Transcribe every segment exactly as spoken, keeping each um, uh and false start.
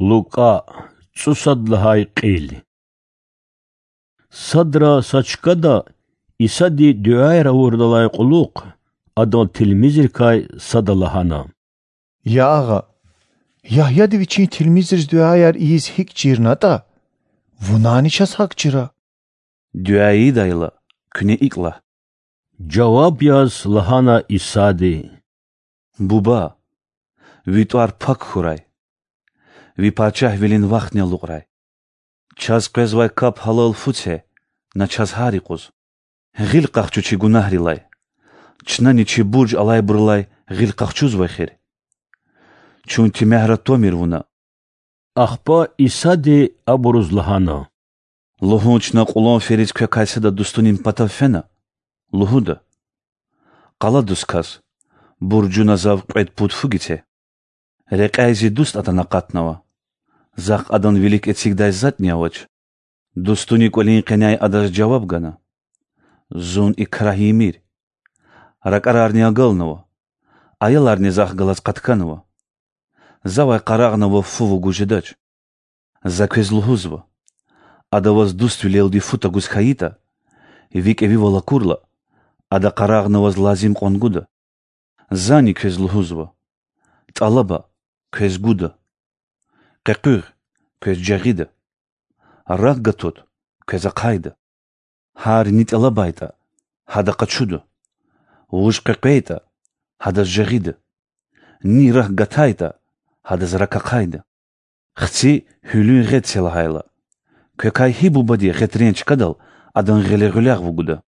Лукӏа, цӏусад лагьай кьил. Садра са чкада Исади дуьаяр авурдалай кьулухъ Адан тилмизрикай сада лагьана: Я Агъа, Ягьяди вичин тилмизриз дуьаяр ийиз гьикӏ чирнатӏа, вунани чаз гьакӏ чира. Дуьа ийидайла, куьне икӏ лагь,— жаваб яз лагьана Исади: Буба, Ви тӏвар пак хьурай. Ви пачагьвилин вахтни алукьрай. Чаз къвезвай кап гьалал фу це, на чаз гьар юкъуз. Гъил къахчу чи гунагьрилай, чнани чи бурж алайбурулай гъил къахчузва эхир. Чун тимягьра твамир Вуна. Ахпа Исади абуруз лагьана: Лугьун чна кьулан фериз квекай сада дустунин патав фена? Лугьуда: Къаладуз кас: Буржуна зав кьвед пуд фу гице. Рекьяй зи дуст атана акъатнава. Захъ адан вилик эцигдай затӏни авач. Дустуни кӏвалин къеняй адаз жаваб гана: Зун и крагь ийимир. Ракӏарарни агалнава, аяларни Захъ галаз къатканва. Завай къарагъна Вав фу вугуз жедач. За квез лугьузва: Ада ваз дуствилелди фу тагуз хьайитӏа, ви кӏевивал акурла, ада къарагъна ваз лазим кьван гуда. Зани квез лугьузва: тӏалаба, квез гуда; къекъуьгъ, квез жагъида; рак гатут, квез ахъайда. Гьар ни тӏалабайтӏа, гьада къачуда; вуж къекъвейтӏа, гьадаз жагъида; ни рак гатайтӏа, гьадаз рак ахъайда. Хци гьуьлуьн гъед це лагьайла, квекай гьи бубади гъетрен чкадал адан гъиле гъуьлягъ вугуда?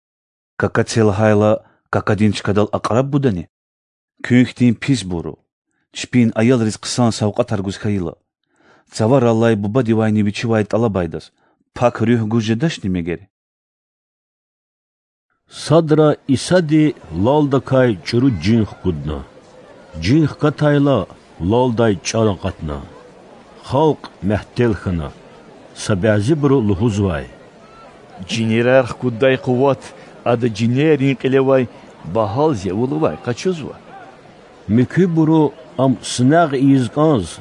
Кака це лагьайла, какадин чкадал акьраб гудани? Куьн хьтин писбуру, чпин аялриз хъсан савкьватар гуз хьайила, цавараллай бубадивайни вичивай тӏалабайдаз Пак Руьгь гуз жедачни мегер? Садра Исади лалдакай чӏуру жин хкудна. Жин хкатайла, лалдай чӏар акъатна. Халкь мягьтел хьана. Са бязибуру лугьузвай: Жинерар хкуддай къуват Ада жинеррин кьилевай Багьал-Зевулавай къачузва. Муькуьбуру Ам синагъ ийиз кӏанз,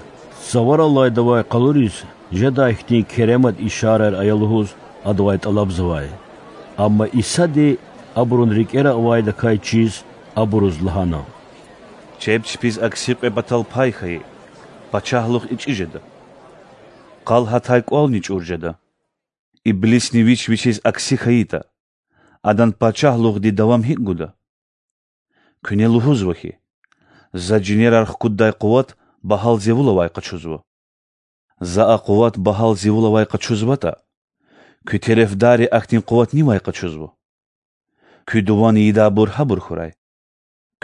цавараллайдавай къалуриз жедай хьтин керемат ишараяр ая лугьуз Адавай тӏалабзавай. Амма Исади абурун рикӏера авайдакай чиз абуруз лагьана: Чеб чпиз акси кьве патал пай хьайи пачагьлугъ ичӏи жеда. Къал гьатай кӏвални чӏур жеда. Иблисни вич вичиз акси хьайитӏа, адан пачагьлугъди давам гьикӏ гуда? Куьне лугьузва хьи, За жинерар хкуддай къуват Багьал-Зевулавай къачузва. За а къуват Багьал-Зевулавай къачузватӏа, куь терефдарри ахьтин къуват нивай къачузва? Куь дуван ийидайбур гьабур хьурай.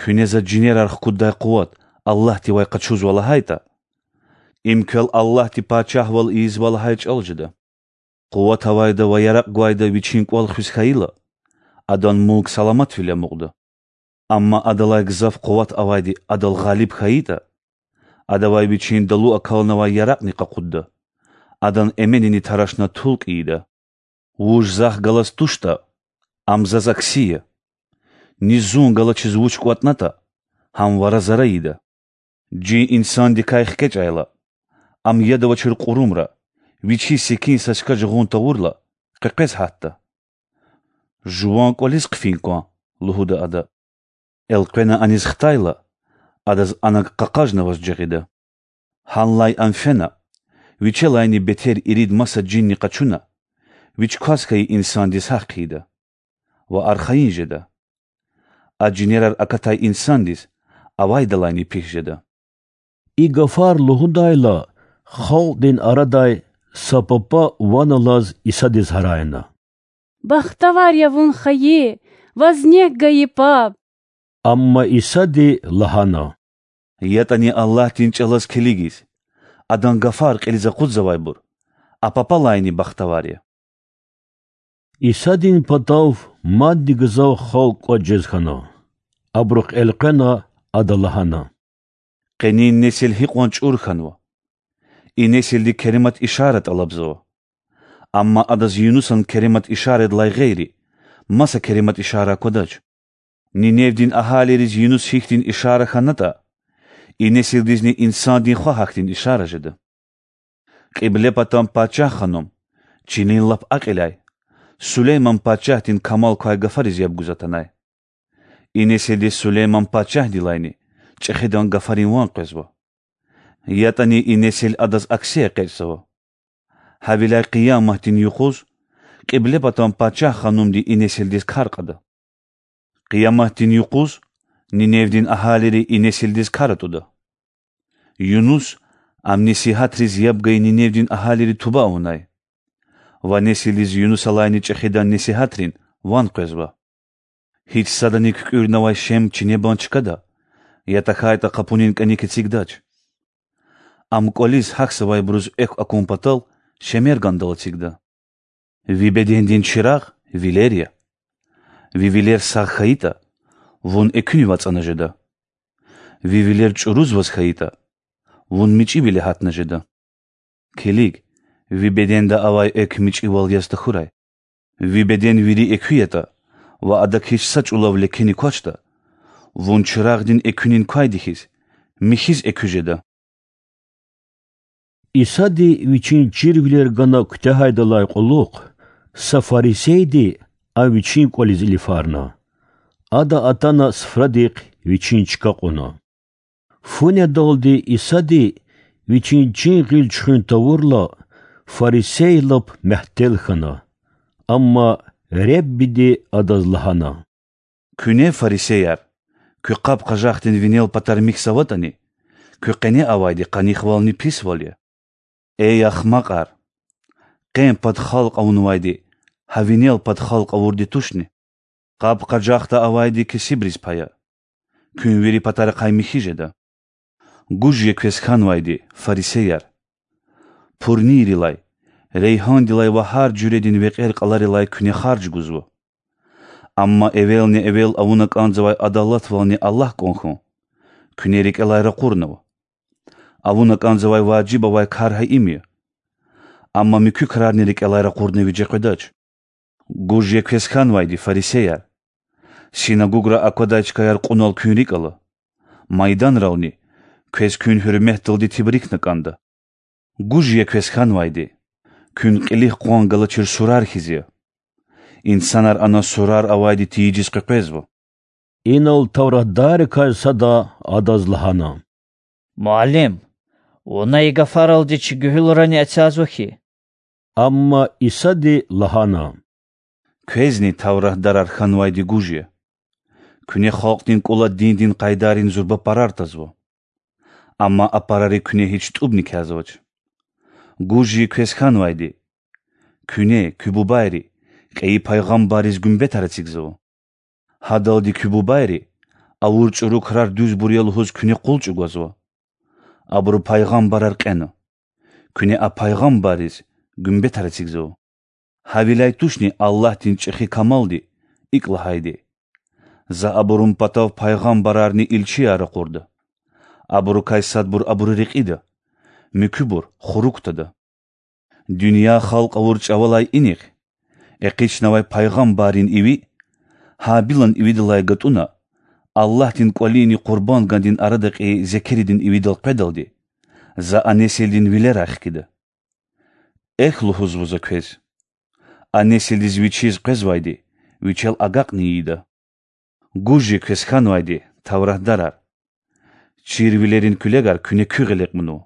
Куьне За жинерар хкуддай къуват Аллагьдивай къачузва лагьайтӏа, им квел Аллагьди пачагьвал ийизва лагьай чӏал жеда. Къуват авайда ва яракь гвайда вичин кӏвал хуьз хьайила, адан мулк саламатвиле амукьда. Амма адалай гзаф къуват авайди адал гъалиб хьайитӏа, адавай вичин далу акалнавай яракьни къакъудда, адан эменини тарашна тулкӏ ийида. Вуж Захъ галаз туштӏа, ам Заз акси я. Ни Зун галачиз вуч кӏватӏнатӏа, гьам вара-зара ийида. Жин инсандикай хкечӏайла, ам яд авачир кьурумра, вичиз секин са чка жагъун тавурла, къекъвез гьатда. Жуван кӏвализ хъфин кван,— лугьуда ада. Элкъвена аниз хтайла, адаз ана къакъажнаваз жагъида. Гьанлай ам фена, вичелайни бетер ирид маса жинни къачуна, вич кваз хьайи инсандиз гьахъ хъийида ва архайин жеда. А жинерар акатай инсандиз авайдалайни пис жеда. И гафар лугьудайла, халкьдин арадай са папа ван алаз Исадиз гьарайна: Бахтавар я вун хайи, ваз нек гайи паб! Амма Исади лагьана: ЯтӀани Аллагьдин чӀалаз килигиз, Адан гафар кьилиз акъудзавайбур, а папалайни бахтавар я. Исадин патав мадни гзаф халкь кӀватӀ жез хьана. Абурухъ элкъвена Ада лагьана: Къенин несил гьикьван чӀур хьанва! И несилди керемат ишара тӀалабзава. Амма адаз Юнусан керемат ишарадилай гъейри, маса керемат ишара аквадач. Ниневдин агьалийриз Юнус гьихьтин ишара хьанатӀа, и несилдизни Инсандин Хва гьахьтин ишара жеда. Кьиблепатан пачагь ханум, чилин лап акьиляй, Сулейман пачагьдин камал квай гафариз яб гуз атанай. И несилдиз Сулейман пачагьдилайни чӀехидан гафарин ван къвезва. ЯтӀани и несил адаз акси экъечӀзава. Гьавиляй Къияматдин юкъуз Кьиблепатан пачагь ханумди и несилдиз кар кьада. Къияматдин юкъуз Ниневдин агьалийри и несилдиз кар атӀуда. Юнус ам несигьатриз яб гайи Ниневдин агьалийри туба авунай. Ва несилдиз Юнусалайни чӀехидан несигьатрин ван къвезва. Гьич садани куькӀуьрнавай шем чинебан чкада я тахьайтӀа къапунин кӀаник эцигдач. Ам кӀвализ гьахьзавайбуруз экв акун патал шемергандал эцигда. Ви бедендин чирагъ вилер я. Ви вилер сагъ хьайитӀа, вун экуьнив ацӀана жеда. Ви вилер чӀурузваз хьайитӀа, вун мичӀивиле гьатна жеда. Килиг, ви беденда авай экв мичӀивал яз тахьурай. Ви беден вири экуь ятӀа ва адак гьич са чӀулав лекени квачтӀа, вун чирагъдин экуьнин квайди хьиз, михьиз экуь жеда. Исади Вичин чирвилер гана куьтягьайдалай кьулухъ са фарисейди Ам Вичин кӀвализ илифарна. Ада атана суфрадихъ Вичин чка кьуна. Фу недалди Исади Вичин чин гъил чуьхуьн тавурла, фарисей лап мягьтел хьана. Амма Реббиди адаз лагьана: Куьне, фарисеяр, куь къаб-къажахдин винел патар михьзаватӀани, куь къене авайди къанихвални писвал я. Эй ахмакьар! Къен пад халкь авунвайди гьа винел пад халкь авурди тушни? Къаб-къажахда авайди кесибриз пая. Куьн вири патарихъай михьи жеда. Гуж я квез хьанвайди, фарисеяр! Пурнийрилай, рейгьандилай ва гьар жуьредин векьер-кьаларилай куьне харж гузва. Амма эвелни-эвел авуна кӀанзавай адалатвални Аллагь кӀан хьун куьне рикӀелай ракъурнава. Авуна кӀанзавай важиб авай кар гьа им я. Амма муькуь крарни рикӀелай ракъурна виже къведач. Гуж я квез хьанвайди, фарисеяр! Синагугра аквадай чкаяр кьунал куьн рикӀ ала, майданрални, квез куьн гьуьрметдалди тебрикна кӀанда. Гуж я квез хьанвайди! Куьн кьилихъ къван галачир сурар хьиз я. Инсанар ана сурар авайди тийижиз къекъвезва. Инал тавратдаррикай сада Адаз лагьана: Муаллим, Вуна и гафаралди чи гуьгьуьлрани эцязва хьи. Амма Исади лагьана: Квезни тавратдарар хьанвайди гуж я. Куьне халкьдин кӀула диндин къайдайрин зурба парар тазва. Амма а парари куьне гьич тӀубни кязвач. Гуж я квез хьанвайди! Куьне, куь бубайри, кьейи пайгъамбарриз гуьмбетар эцигзава. Гьадалди куь бубайри, авур чӀуру крар дуьзбур я лугьуз куьне къул чӀугвазва. Абуру пайгъамбарар кьена. Куьне а пайгъамбарриз гуьмбетар эцигзава. Гьавиляй тушни Аллагьдин чӀехи камалди икӀ лагьайди: За абурун патав пайгъамбарарни илчияр ракъурда. Абурукай садбур абуру рекьида, муькуьбур хурук тада. Дуьнья халкь авур чӀавалай инихъ, экъичнавай пайгъамбаррин иви, Гьабилан ивидалай гатӀунна, Аллагьдин кӀвалини къурбандгандин арада кьейи зекеридин ивидал къведалди, За а несилдин вилерай хкида. Эхь лугьузва За квез: а несилдиз вичиз къвезвайди вичел агакьни ийида. Гуж я квез хьанвайди, тавратдарар! Чирвилерин куьлегар куьне куь гъиле кьунва.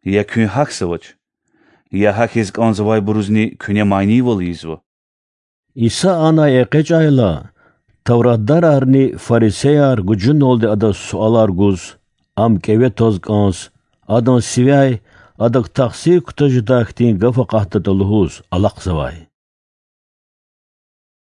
Я куьн гьахьзавач, я гьахьиз кӀанзавайбурузни куьне манийвал ийизва. Иса анай экъечӀайла, тавратдарарни фарисеяр гужуналди Адаз суалар гуз, Ам кӀеве тваз кӀанз, Адан сивяй Адак тахсир кутаз жедай хьтин гаф акъатдатӀа лугьуз алахъзавай.